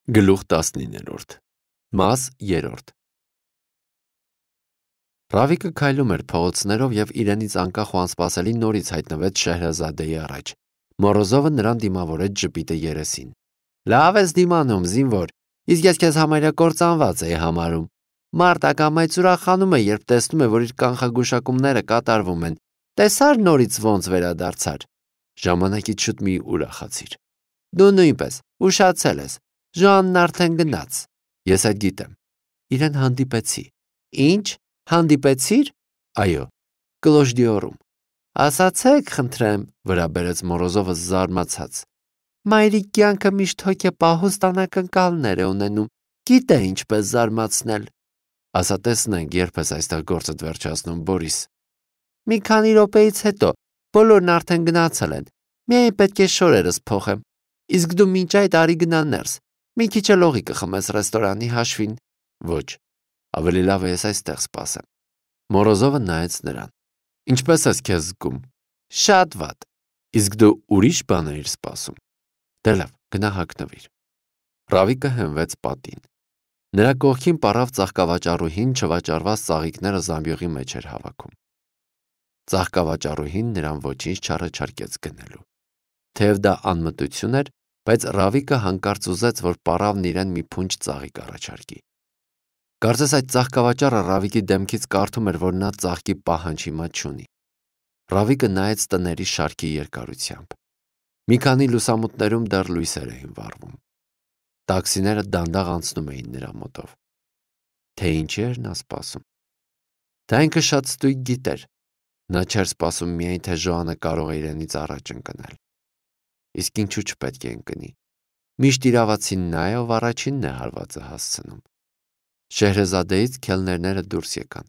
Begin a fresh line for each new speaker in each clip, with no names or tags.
Գլուխ 19-րդ Մաս 3 Ռավիկը քայլում էր փողոցներով և իրենից անկախ ու անսպասելի նորից հայտնվեց Շեհրազադեի առաջ։ Մորոզովը նրան դիմավորեց ժպիտը երեսին։ Լավ ես դիմանում, զինվոր, իսկ ես քեզ համարյա կործանված էի համարում։ Մարդը կամայց ուրախանում է, երբ տեսնում է, որ իր կանխագուշակումները կատարվում են։ Տեսա՞ր նորից ոնց վերադարձար։ Ժամանակից շուտ մի ուրախացիր։ Դու նույնպես ուշացել ես։ Ժանն արդեն գնաց։ Ես այդ գիտեմ։ Իրեն հանդիպեցի։ Ինչ? Հանդիպեցիր։ Այո, Կլոժդիորում։ Ասացեք, խնդրեմ, վրա բերեց Մորոզովը զարմացած։ Մայրիկ կյանքը միշտ հոգեպահուս անակնկալներ է ունենում։ Գիտե ինչպես զարմացնել։ Ասա տեսնենք, երբ ես այստեղ գործդ վերջացնում, Բորիս։ Մի քանի րոպեից հետո բոլորն արդեն գնացել են։ Միայն պետք է շորերս փոխեմ։ Իսկ դու մինչ այդ արի գնա ներս։ Մի քիչ էլ օղի կխմես ռեստորանի հաշվին։ Ոչ, ավելի լավ է ես այստեղ սպասեմ։ Մորոզովը նայեց նրան։ Ինչպես ես քեզ զգում։ Շատ վատ։ Իսկ դու ուրիշ բան էիր սպասում։ Դե լավ, գնա հագնվիր։ Ռավիկը հենվեց պատին։ Նրա կողքին պառավ ծաղկավաճառուհին չվաճառված ծաղիկները զամբյուղի մեջ էր հավաքում։ Ծաղկավաճառուհին նրան ոչինչ չառաջարկեց գնելու։ Թեև դա անմտություն էր, բայց Ռավիկը հանկարծ ուզեց, որ պառավն իրեն մի փունջ ծաղիկ առաջարկի։ Կարծես այդ ծաղկավաճառը Ռավիկի դեմքից կարդում էր, որ նա ծաղկի պահանջ հիմա չունի։ Ռավիկը նայեց տների շարքի երկարությամբ։ Մի քանի լուսամուտներում դեռ լույսեր էին վառվում։ Տաքսիները դանդաղ անցնում էին նրա մոտով։ Թե ինչի էր նա սպասում։ Դա ինքը շատ ստույգ գիտեր։ Նա չէր սպասում միայն, թե Ժոանը կարող է իրենից առաջ ընկնել։ Իսկ ինչու չպետք է ընկնի։ Միշտ իրավացին նա է, ով առաջինն է հարվածը հասցնում։ Շեհրեզադեից քելներները դուրս եկան։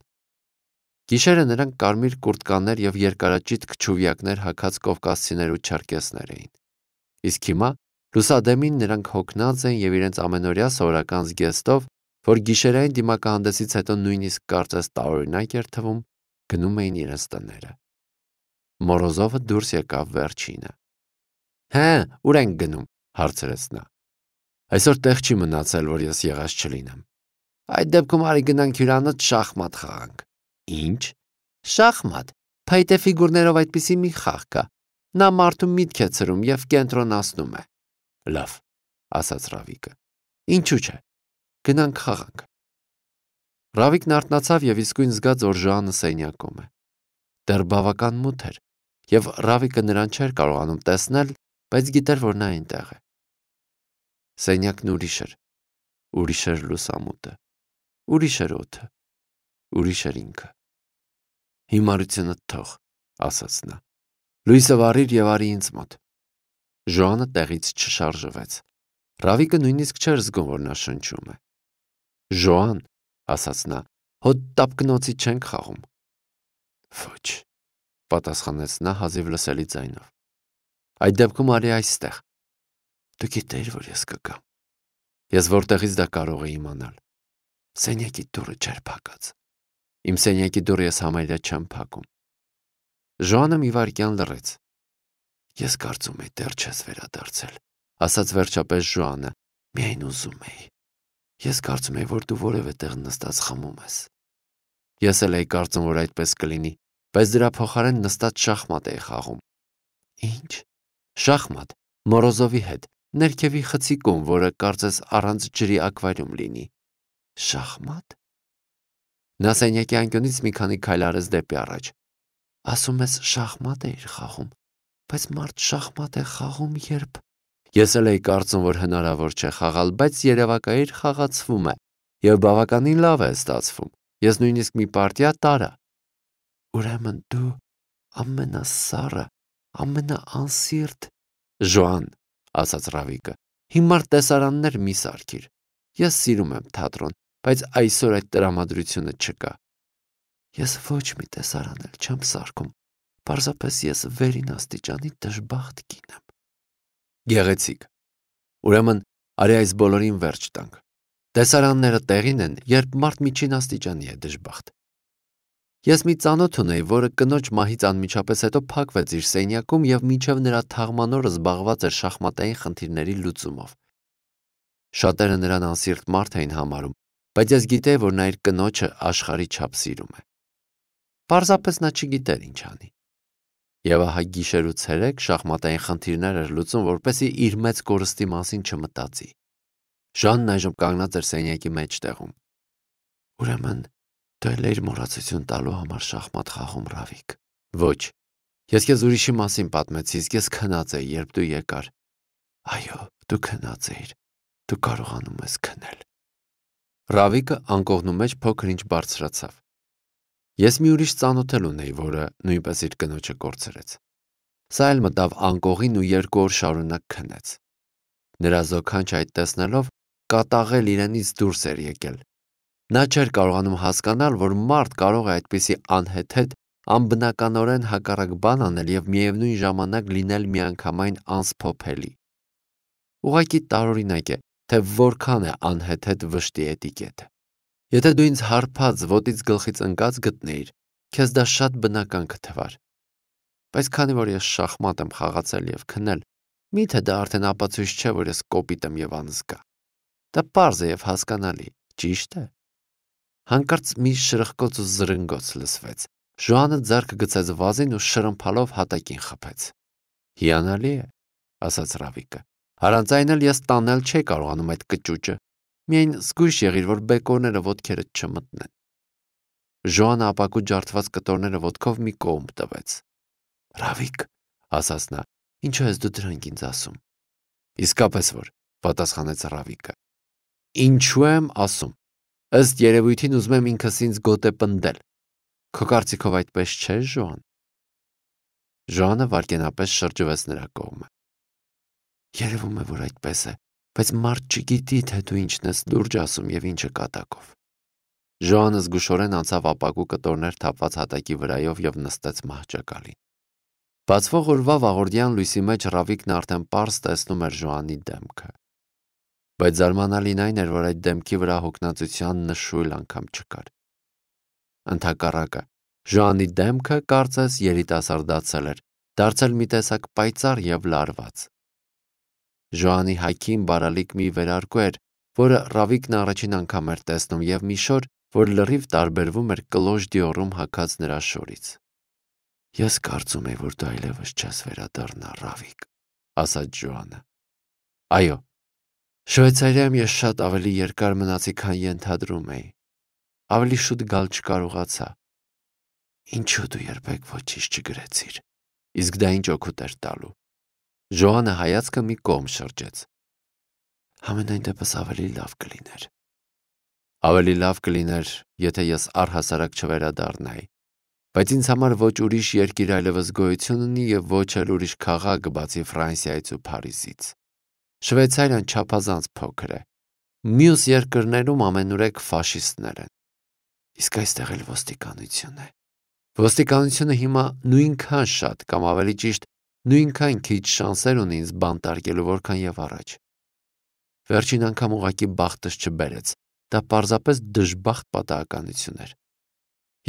Գիշերը նրանք կարմիր կուրտկաներ և երկարաճիտ քչուվյակներ հագած կովկասցիներ ու չերկեսներ էին։ Իսկ հիմա լուսադեմին նրանք հոգնած են և իրենց ամենօրյա սովորական զգեստով, որ գիշերային դիմակահանդեսից հետո նույնիսկ կարծես տարօրինակ էր թվում, գնում էին իրենց տները։ Մորոզովը դուրս եկավ վերջինը։ Հե, ուր ենք գնում, հարցրեց նա։ Այսօր տեղ չի մնացել, որ ես եղած չլինեմ։ Այդ դեպքում արի գնանք հյուրանոց շախմատ խաղանք։ Ինչ։ Շախմատ։ Փայտե ֆիգուրներով այդպիսի մի խաղ կա։ Նա մարդու միտք է ցրում և կենտրոնացնում է։ Լավ, ասաց Ռավիկը։ Ինչու՞ չէ։ Գնանք խաղանք։ Ռավիկն արթնացավ և իսկույն զգաց, որ Ժոանը սենյակում է։ Դեռ բավական մութ էր, և Ռավիկը նրան չէր կարողանում տեսնել, բայց գիտեր, որ նա այնտեղ է։ Սենյակն ուրիշ էր։ Ուրիշ էր լուսամուտը։ Ուրիշ էր օդը։ Ուրիշ էր ինքը։ Հիմարությունը թող, ասաց նա։ Լույսը վառիր և արի ինձ մոտ։ Ժոանը տեղից չշարժվեց։ Ռավիկը նույնիսկ չէր զգում, որ նա շնչում է։ Ժոան, ասաց նա, հոտ տապկնոցի չենք խաղում։ Ոչ, պատասխանեց նա հազիվ լսելի ձայնով։ Այդ դեպքում արի այստեղ։ Դու գիտեիր, որ ես կգամ։ Ես որտեղից դա կարող էի իմանալ։ Սենյակի դուռը չէր փակած։ Իմ սենյակի դուռը ես համարյա չեմ փակում։ Ժոանը մի վայրկյան լռեց։ Ես կարծում էի դեռ չես վերադարձել, ասաց վերջապես Ժոանը, միայն ուզում էի։ Ես կարծում էի, որ դու որևէ տեղ նստած խմում ես։ Ես էլ էի կարծում, որ այդպես կլինի, բայց դրա փոխարեն նստած շախմատ էի խաղում։ Ինչ։ Շախմատ, Մորոզովի հետ, ներքևի խցիկում, որը կարծես առանց ջրի ակվարիում լինի։ Շախմատ։ Նա սենյակի անկյունից մի քանի քայլ արեց դեպի առաջ։ Ասում ես շախմատ էիր խաղում, բայց մարդ շախմատ է խաղում, երբ… Ես էլ էի կարծում, որ հնարավոր չէ խաղալ, բայց երևակայիր խաղացվում է, և բավականին լավ է ստացվում։ Ես նույնիսկ մի պարտիա տարա։ Ուրեմն դու ամենասառը, ամենաանսիրտ… Ժոան, ասաց Ռավիկը, հիմար տեսարաններ մի սարքիր։ Ես սիրում եմ թատրոն, բայց այսօր այդ տրամադրությունը չկա։ Ես ոչ մի տեսարան էլ չեմ սարքում, պարզապես ես վերին աստիճանի դժբախտ կին եմ։ Գեղեցիկ։ Ուրեմն արի այս բոլորին վերջ տանք։ Տեսարանները տեղին են, երբ մարդ միջին աստիճանի է դժբախտ։ Ես մի ծանոթ ունեի, որը կնոջ մահից անմիջապես հետո փակվեց իր սենյակում և մինչև նրա թաղման օրը զբաղված էր շախմատային խնդիրների լուծումով։ Շատերը նրան անսիրտ մարդ էին համարում, բայց ես գիտեի, որ նա իր կնոջը աշխարհի չափ սիրում է։ Պարզապես նա չգիտեր ինչ անի։ Եվ ահա գիշեր ու ցերեկ շախմատային խնդիրներ էր լուծում, որպեսզի իր մեծ կորստի մասին չմտածի։ Ժանն այժմ կանգնած էր սենյակի մեջտեղում։ Ուրեմն դու էլ էիր մոռացություն տալու համար շախմատ խաղում, Ռավիկ։ Ոչ, ես քեզ ուրիշի մասին պատմեցի, իսկ ես քնած էի, երբ դու եկար։ Այո, դու քնած էիր, դու կարողանում ես քնել։ Ռավիկը անկողնու մեջ փոքր-ինչ բարձրացավ։ Ես մի ուրիշ ծանոթել ունեի, որը նույնպես իր կնոջը կորցրեց։ Սա էլ մտավ անկողին ու 2 օր շարունակ քնեց։ Նրա զոքանչ այդ տեսնելով կատաղել իրենից դուրս էր եկել։ Նա չէր կարողանում հասկանալ, որ մարդ կարող է այդպիսի անհեթեթ, անբնականորեն հակառակ բան անել եւ միևնույն ժամանակ լինել միանգամայն անսփոփելի։ Ուղղակի տարօրինակ է, թե որքան է անհեթեթ վշտի էտիկետը։ Եթե դու ինձ հարբած ոտից գլխից ընկած գտնեիր, քեզ դա շատ բնական կթվար։ Բայց քանի որ ես շախմատ եմ խաղացել եւ քնել, միթե դա արդեն ապացույց չէ, որ ես կոպիտ եմ եւ անզգա։ Դա պարզ է եւ հասկանալի, ճիշտ է։ Հանկարծ մի շրխկոց ու զրնգոց լսվեց։ Ժոանը ձեռքը գցեց վազին ու շրմփալով հատակին խփեց։ Հիանալի է, ասաց Ռավիկը։ Առանց այն էլ ես տանել չէի կարողանում այդ կճուճը։ Միայն զգույշ եղիր, որ բեկորները ոտքերդ չմտնեն։ Ժոանը ապակու ջարդված կտորները ոտքով մի կողմ տվեց։ Ռավիկ, ասաց նա, ինչու ես դու դրանք ինձ ասում։ Իսկապես որ, պատասխանեց Ռավիկը։ Ինչու եմ ասում։ Ըստ երևույթին ուզում եմ ինքս ինձ գոտե պնդել։ Քո կարծիքով այդպես չէ, Ժոան։ Ժոանը վայրկենապես շրջվեց նրա կողմը։ Երևում է, որ այդպես է, բայց մարդ չգիտի, թե դու ինչն ես լուրջ ասում եւ ինչը կատակով։ Ժոանը զգուշորեն անցավ ապակու կտորներ թափված հատակի վրայով եւ նստեց մահճակալին։ Բացվող օրվա վաղորդյան լույսի մեջ Ռավիկն արդեն պարզ տեսնում էր Ժոանի դեմքը։ Բայց զարմանալին այն էր, որ այդ դեմքի վրա հոգնածության նշույլ անգամ չկար։ Ընդհակառակը, Ժոանի դեմքը կարծես երիտասարդացել էր, դարձել մի տեսակ պայծառ եւ լարված։ Ժոանի հագին բարալիկ մի վերարկու էր, որը Ռավիկն առաջին անգամ էր տեսնում եւ մի շոր, որ լրիվ տարբերվում էր կլոժ դիորում հագած նրա շորից։ Ես կարծում եմ, որ դու այլևս չես վերադառնա, Ռավիկ, ասաց Ժոանը։ Այո, Շվեյցարիայում ես շատ ավելի երկար մնացի, քան ենթադրում էի։ Ավելի շուտ գալ չկարողացա։ Ինչու դու երբեք ոչինչ չգրեցիր։ Իսկ դա ինչ օգուտ էր տալու։ Ժոանը հայացքը մի կողմ շրջեց։ Համենայն դեպս ավելի լավ կլիներ։ Ավելի լավ կլիներ, եթե ես առհասարակ չվերադառնայի, բայց ինձ համար ոչ ուրիշ երկիր այլևս գոյություն ունի եւ ոչ էլ ուրիշ քաղաք բացի Ֆրանսիայից ու Փարիզից։ Շվեյցարիան չափազանց փոքր է։ Մյուս երկրներում ամենուրեք ֆաշիստներ են։ Իսկ այստեղ էլ ոստիկանություն է։ Ոստիկանությունը հիմա նույնքան շատ կամ ավելի ճիշտ նույնքան քիչ շանսեր ունի ինձ բանտարկելու, որքան եւ առաջ։ Վերջին անգամ ուղղակի բախտս չբերեց։ Դա պարզապես դժբախտ պատահականություն էր։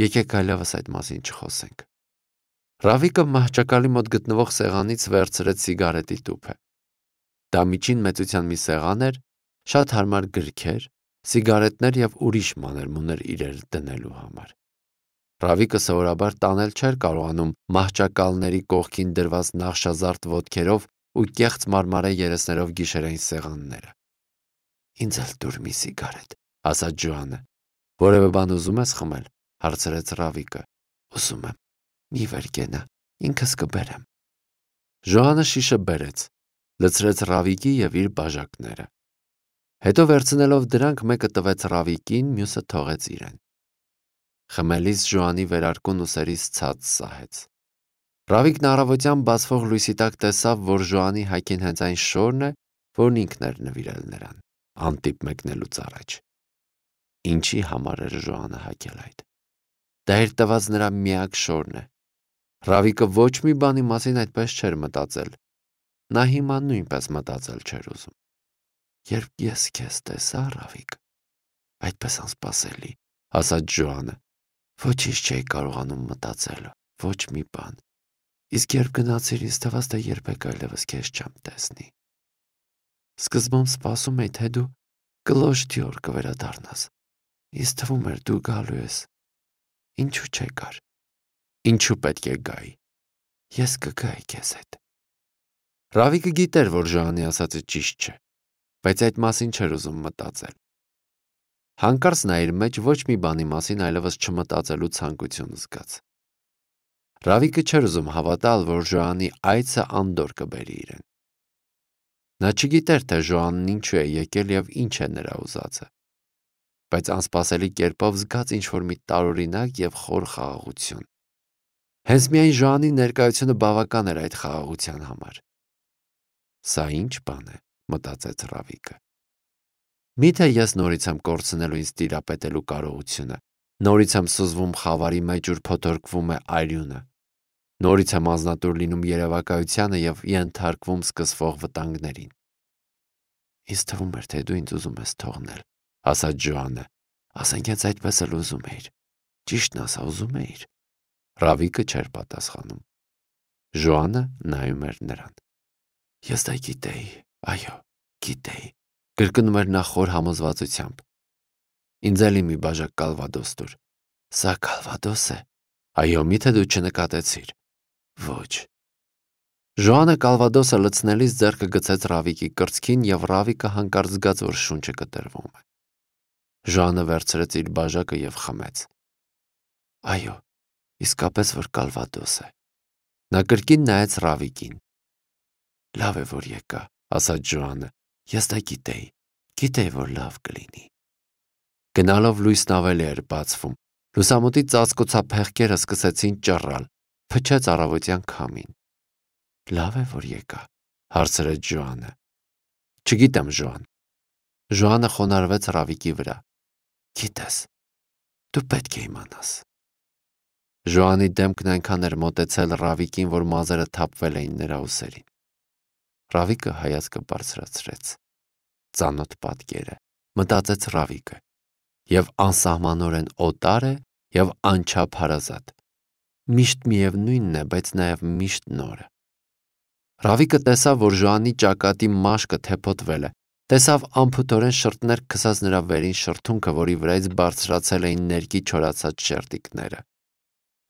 Եկեք այլևս այդ մասին չխոսենք։ Ռավիկը մահճակալի մոտ գտնվող սեղանից վերցրեց սիգարետի տուփը։ Դա միջին մեծության մի սեղան էր, շատ հարմար գրքեր, սիգարետներ եւ ուրիշ մանր-մուներ իրեր դնելու համար։ Ռավիկը սովորաբար տանել չէր կարողանում մահճակալների կողքին դրված նախշազարդ ոտքերով ու կեղծ մարմարե երեսներով գիշերային սեղանները։ Ինձ էլ դուր մի սիգարետ, ասաց Ժոանը։ Որևէ բան ուզում ես խմել, հարցրեց Ռավիկը։ Ուզում եմ, մի վեր կենա, ինքս կբերեմ։ Ժոանը շիշը բերեց, լցրեց Ռավիկի եւ իր բաժակները։ Հետո վերցնելով դրանք մեկը տվեց Ռավիկին, մյուսը թողեց իրեն։ Խմելիս Ժոանի վերարկուն ուսերից ցած սահեց։ Ռավիկն առավոտյան բացվող լույսի տակ տեսավ, որ Ժոանի հագին հենց այն շորն է, որն ինքն էր նվիրել նրան, անտիպ մեկնելուց առաջ։ Ինչի համար էր Ժոանը հագել այդ։ Դա էր տված նրա միակ շորն է։ Ռավիկը ոչ մի բանի մասին այդպես չէր մտածել։ Նա հիմա նույնպես մտածել չէր ուզում։ Երբ ես քեզ տեսա, Ռավիկ, այդպես անսպասելի, ասաց Ժոանը։ Ոչինչ չէի կարողանում մտածել, ոչ մի բան։ Իսկ երբ գնացիր, ինձ թվաց, թե երբեք այլևս քեզ չեմ տեսնի։ Սկզբում սպասում էի, թե դու Կլոշ դյոր կվերադառնաս։ Ինձ թվում էր դու գալու ես։ Ինչու չեկար։ Ինչու պետք է գայի։ Ես կգայի քեզ հետ։ Ռավիկը գիտեր, որ Ժոանի ասածը ճիշտ չէ, բայց այդ մասին չէր ուզում մտածել։ Հանկարծ նա իր մեջ ոչ մի բանի մասին այլևս չմտածելու ցանկություն զգաց։ Ռավիկը չէր ուզում հավատալ, որ Ժոանի այցը անդորր կբերի իրեն։ Նա չգիտեր, թե Ժոանն ինչու է եկել եւ ինչ է նրա ուզածը, բայց անսպասելի կերպով զգաց ինչ-որ մի տարօրինակ եւ խոր խաղաղություն։ Հենց միայն Ժոանի ներկայությունը բավական էր այդ խաղաղության համար։ Սա ինչ բան է, մտածեց Ռավիկը։ Միթե ես նորից եմ կորցնելու ինձ տիրապետելու կարողությունը, նորից եմ սուզվում խավարի մեջ, ուր փոթորկվում է արյունը, նորից եմ անznատուր լինում երևակայությանը եւ ենթարկվում սկսվող վտանգներին։ Ինձ թվում էր, թե դու ինձ ուզում ես թողնել, ասաց Ժոանը, ասենք հենց այդպես էլ ուզում էիր։ Ճիշտն ասա, ուզում էիր։ Ռավիկը չէր պատասխանում։ Ժոանը նայում էր նրան։ Ես դա գիտեի, այո, գիտեի, կրկնում էր նա խոր համոզվածությամբ։ Ինձ էլի մի բաժակ կալվադոս տուր։ Սա կալվադոս է։ Այո, միթե դու չնկատեցիր։ Ոչ։ Ժոանը կալվադոսը լցնելիս ձեռքը գցեց Ռավիկի կրծքին եւ Ռավիկը հանկարծ զգաց, որ շունչը կտրվում է։ Ժոանը վերցրեց իր բաժակը եւ խմեց։ Այո, իսկապես որ կալվադոս է։ Նա կրկին նայեց Ռավիկին։ Լավ է, որ եկա, ասաց Ժոանը։ Ես դա գիտեի, որ լավ կլինի։ Գնալով լույսն ավելի էր բացվում։ Լուսամուտի ծածկոցափեղկերը սկսեցին ճռռալ, փչեց առավոտյան քամին։ Լավ է, որ եկա, հարցրեց Ժոանը։ Չգիտեմ, Ժոան։ Ժոանը խոնարհվեց Ռավիկի վրա։ Գիտես, դու պետք է իմանաս։ Ժոանի դեմքն այնքան էր մոտեցել Ռավիկին, որ մազերը թափվել էին նրա ուսերին։ Ռավիկը հայացքը բարձրացրեց։ Ծանոթ պատկերը, մտածեց Ռավիկը, եւ անսահմանորեն օտար է եւ անչափ հարազատ։ Միշտ միևնույնն է, բայց նաեւ միշտ նորը։ Ռավիկը տեսավ, որ Ժոանի ճակատի մաշկը թեփոտվել է, տեսավ անփութորեն շրթներ քսած նրա վերին շրթունքը, որի վրայից բարձրացել էին ներկի չորացած շերտիկները։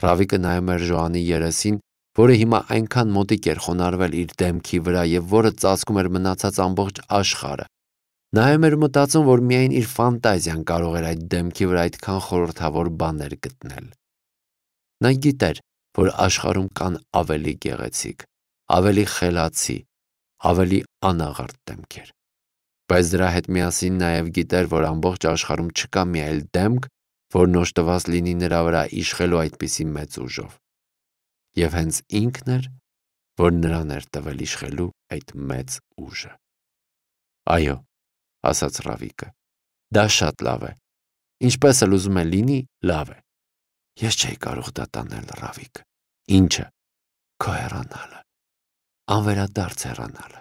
Ռավիկը նայում էր Ժոանի երեսին, որը հիմա այնքան մոտիկ էր խոնարհվել իր դեմքի վրա եւ որը ծածկում էր մնացած ամբողջ աշխարհը։ Նայում էր մտածում, որ միայն իր ֆանտազիան կարող էր այդ դեմքի վրա այդքան խորհրդավոր բաներ գտնել։ Նա գիտեր, որ աշխարհում կան ավելի գեղեցիկ, ավելի խելացի, ավելի անաղարտ դեմքեր։ Բայց դրա հետ միասին նաև գիտեր, որ ամբողջ աշխարհում չկա մի այլ դեմք, որն օժտված լինի նրա վրա իշխելու այդպիսի մեծ ուժով։ Եվ հենց ինքն էր, որ նրան էր տվել իշխելու այդ մեծ ուժը։ Այո, ասաց Ռավիկը, դա շատ լավ է։ Ինչպես էլ ուզում է լինի, լավ է։ Ես չէի կարող դա տանել, Ռավիկ։ Ինչը։ Քո հեռանալը։ Անվերադարձ հեռանալը։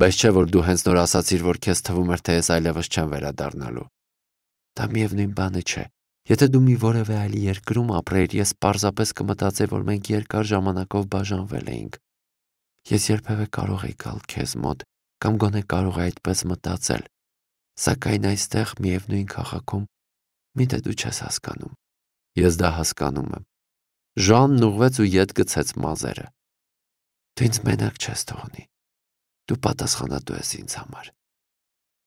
Բայց չէ, որ դու հենց նոր ասացիր, որ քեզ թվում էր, թե ես այլևս չեմ վերադառնալու։ Դա միևնույն բանը չէ։ Եթե դու մի որևէ այլ երկրում ապրեիր, ես պարզապես կմտածեի, որ մենք երկար ժամանակով բաժանվել էինք։ Ես երբևէ կարող էի գալ քեզ մոտ, կամ գոնե կարող էի այդպես մտածել, սակայն այստեղ միևնույն քաղաքում միթե դու չես հասկանում։ Ես դա հասկանում եմ։ Ժանն ուղղվեց ու ետ գցեց մազերը։ Դու ինձ մենակ չես թողնի։ Դու պատասխանատու ես ինձ համար։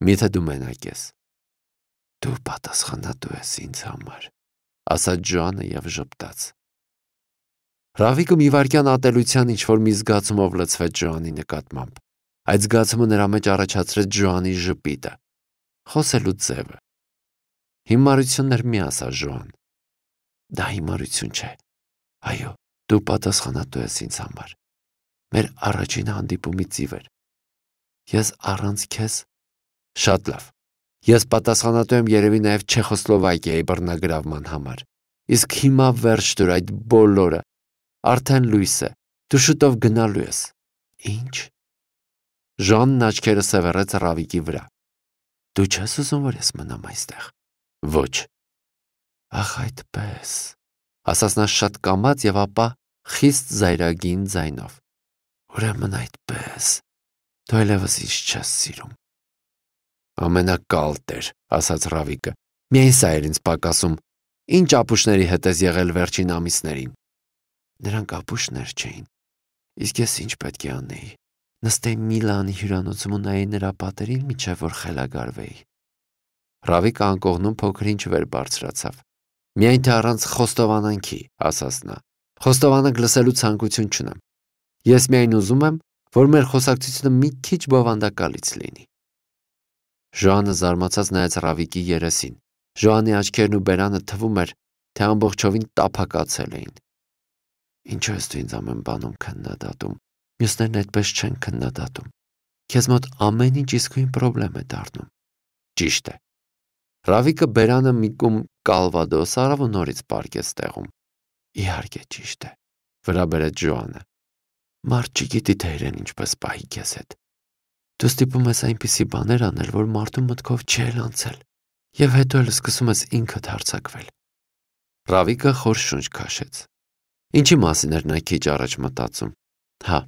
Միթե դու մենակ ես։ Դու պատասխանատու ես ինձ համար, ասաց Ժանը եւ ժպտաց։ Ռավիկը մի վայրկյան ատելության ինչ-որ մի զգացումով լցվեց Ժանի նկատմամբ։ Այդ զգացումը նրա մեջ առաջացրեց Ժանի ժպիտը, խոսելու ձևը։ Հիմարություններ մի ասա, Ժոան։ Դա հիմարություն չէ։ Այո, դու պատասխանատու ես ինձ համար։ Մեր առաջին հանդիպումից ի վեր։ Ես առանց քեզ շատ լավ։ Ես պատասխանատու եմ երևի նաև Չեխոսլովակիայի բռնագրավման համար։ Իսկ հիմա վերջ դուր այդ բոլորը։ Արդեն լույս է։ Դու շուտով գնալու ես։ Ինչ։ Ժանն աչքերը սևեռեց Ռավիկի վրա։ Դու չես ուզում, որ ես մնամ այստեղ։ Ոչ։ Ախ, այդպես։ Ասաց նա շատ կամաց եւ ապա խիստ զայրագին ձայնով։ Ուրեմն այդպես։ Դու այլևս ինձ չես սիրում։ Ամենակալտեր, ասաց Ռավիկը, միայն սա էր ինձ պակասում, ինչ ապուշների հետ ես եղել վերջին ամիսներին։ Նրանք ապուշներ չէին, իսկ ես ինչ պետք է անեի, նստեի Միլանի հյուրանոցում ու նայեի նրա պատերին, մինչև որ խելագարվեի։ Ռավիկը անկողնում փոքր ինչ վեր բարձրացավ։ Միայն թե առանց խոստովանանքի, ասաց նա, խոստովանանք լսելու ցանկություն չունեմ։ Ես միայն ուզում եմ, որ մեր խոսակցությունը մի քիչ բովանդակալից լինի։ Ժոանը զարմացած նայեց Ռավիկի երեսին։ Ժոանի աչքերն ու բերանը թվում էր, թե ամբողջովին տափակացել էին։ Ինչո՞ւ ես դու ինձ ամեն բանում քննադատում։ Մյուսներն այդպես չեն քննադատում։ Քեզ մոտ ամեն ինչ իսկույն պրոբլեմ է դառնում։ Ճիշտ է։ Ռավիկը բերանը մի կում կալվադոս արավ ու նորից պառկեց տեղում։ Իհարկե ճիշտ է, վրա բերեց Ժոանը։ Մարդ չգիտի թե իրեն ինչպես պահի քեզ հետ։ Դու ստիպում ես այնպիսի բաներ անել, որ մարդու մտքով չի էլ անցել, եւ հետո էլ սկսում ես ինքդ հարձակվել։ Ռավիկը խոր շունչ քաշեց։ Ինչի մասին էր նա քիչ առաջ մտածում։ Հա,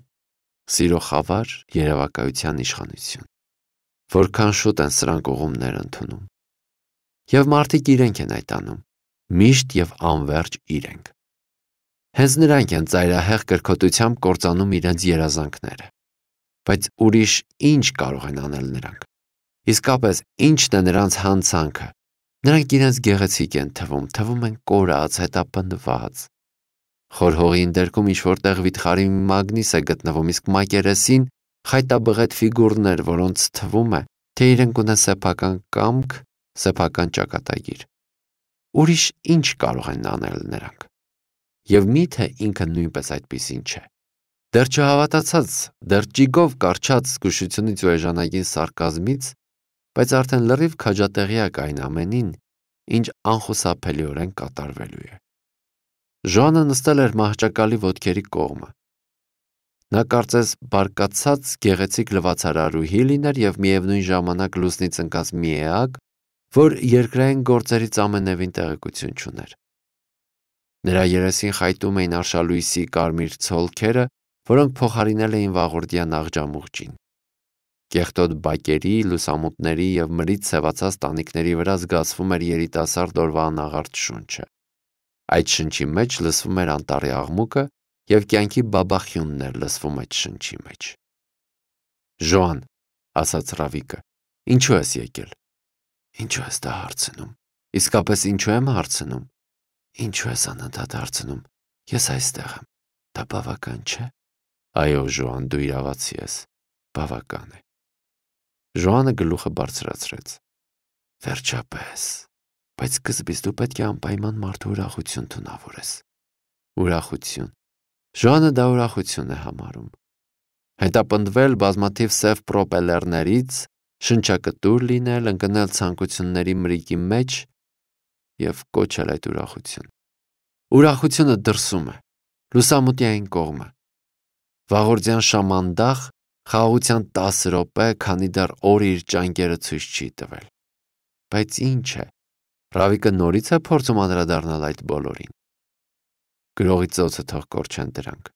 սիրո խավար, երևակայության իշխանություն։ Որքան շուտ են սրանք ուղումներ ընդունում։ Եվ մարդիկ իրենք են այդ անում, միշտ եւ անverջ իրենք։ Հենց նրանք են ծայրահեղ կրքոտությամբ կործանում իրենց երազանքները։ Բայց ուրիշ ինչ կարող են անել նրանք։ Իսկապես ինչն է նրանց հանցանքը։ Նրանք իրենց գեղեցիկ են թվում են կորած, հետապնդված։ Խոր հողի ընդերքում ինչ-որտեղ վիթխարի մագնիս է գտնվում, իսկ մակերեսին խայտաբղետ ֆիգուրներ, որոնց թվում է, թե իրենք ունեն սեփական կամք, սեփական ճակատագիր։ Ուրիշ ինչ կարող են անել նրանք։ Եվ միթե ինքը նույնպես այդպիսին չէ։ Դեռ չհավատացած, դեռ ճիգով կարճած զգուշությունից ու էժանագին սարկազմից, բայց արդեն լրիվ քաջատեղյակ այն ամենին, ինչ անխուսափելիորեն կատարվելու է։ Ժոանը նստել էր մահճակալի ոտքերի կողմը։ Նա կարծես բարկացած գեղեցիկ լվացարարուհի լիներ եւ միևնույն ժամանակ լուսնից ընկած մի էակ, որ երկրային գործերից ամենևին տեղեկություն չուներ։ Նրա երեսին խայտում էին արշալույսի կարմիր ցոլքերը, որոնք փոխարինել էին վաղորդյան աղջամուղջին։ Կեղտոտ բակերի, լուսամուտների եւ մրից սևացած տանիքների վրա զգացվում էր երիտասարդ օրվա անաղարտ շունչը։ Այդ շնչի մեջ լսվում էր անտառի աղմուկը եւ կյանքի բաբախյունն էր լսվում այդ շնչի մեջ։ Ժոան, ասաց Ռավիկը, ինչու ես եկել։ Ինչու ես դա հարցնում։ Իսկապես ինչու եմ հարցնում։ Ինչու ես անընդհատ հարցնում։ Ես այստեղ եմ։ Դա բավական չէ։ Այո, Ժոան, դու իրավացի ես։ Բավական է։ Ժոանը գլուխը բարձրացրեց։ Վերջապես։ Բայց սկզբից դու պետք է անպայման մարդու ուրախություն թունավորես։ Ուրախություն։ Ժոանը դա ուրախություն է համարում։ Հետապնդվել բազմաթիվ սև պրոպելերներից, շնչակտուր լինել, ընկնել ցանկությունների մրիկի մեջ եւ կոչել այդ ուրախություն։ Ուրախությունը դրսում է, լուսամուտի այն կողմը։ Վաղորդյան շամանդախ, խաղաղության 10 րոպե, քանի դեռ օրը իր ճանկերը ցույց չի տվել։ Բայց ինչ է։ Ռավիկը նորից է փորձում անդրադառնալ այդ բոլորին։ Գրողի ծոցը թող կորչեն դրանք։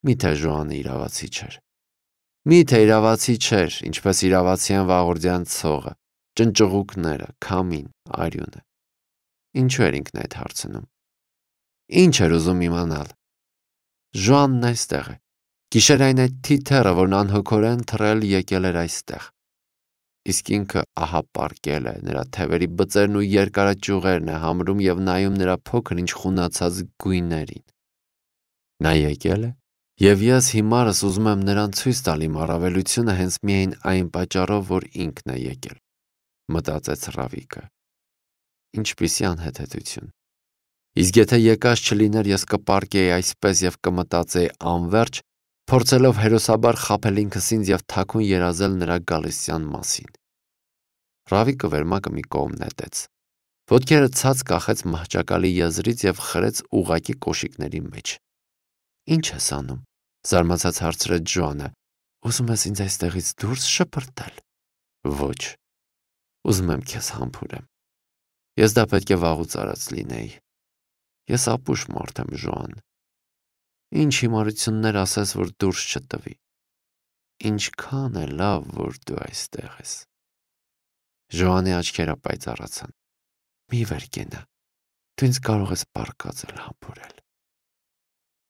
Միթե Ժոանը իրավացի չէր։ Միթե իրավացի չէր, ինչպես իրավացի են վաղորդյան ցողը, ճնճղուկները, քամին, արյունը։ Ինչու էր ինքն այդ հարցնում։ Ինչ էր ուզում իմանալ։ Ժոանն այստեղ է։ Գիշերային այդ թիթեռը, որն անհոգորեն թռել եկել էր այստեղ։ Իսկ ինքը ահա պառկել է, նրա թևերի բծերն ու երկարաճյուղերն է համրում եւ նայում նրա փոքր ինչ խունացած գույներին։ Նա եկել է, եւ ես հիմարս ուզում եմ նրան ցույց տալ իմ առավելությունը հենց միայն այն պատճառով, որ ինքն է եկել, մտածեց Ռավիկը։ Ինչպիսի անհեթեթություն։ Իսկ եթե եկած չլիներ, ես կպառկեի այսպես եւ կմտածեի անverջ, փորձելով հերոսաբար խաբել ինքս ինձ եւ թաքուն երազել նրա գալստյան մասին։ Ռավիկը վերմակը մի կողմ նետեց։ Ոտքերը ցած կախեց մահճակալի եզրից եւ խրեց ուղակի կոշիկների մեջ։ Ինչ ես անում։ Զարմացած հարցրեց Ժոանը։ Ուզում ես ինձ այստեղից դուրս շպրտել։ Ոչ։ Ուզում եմ քեզ համբուրեմ։ Ես դա պետք է վաղուց արած լինեի։ Ես ապուշ մարդ եմ, Ժոան։ Ինչ հիմարություններ ասես, որ դուրս չտվի։ Ինչքան է լավ, որ դու այստեղ ես։ Ժոանի աչքերը պայծառացան։ Մի վեր կենա։ Դու ինձ կարող ես պարկածել համբուրել։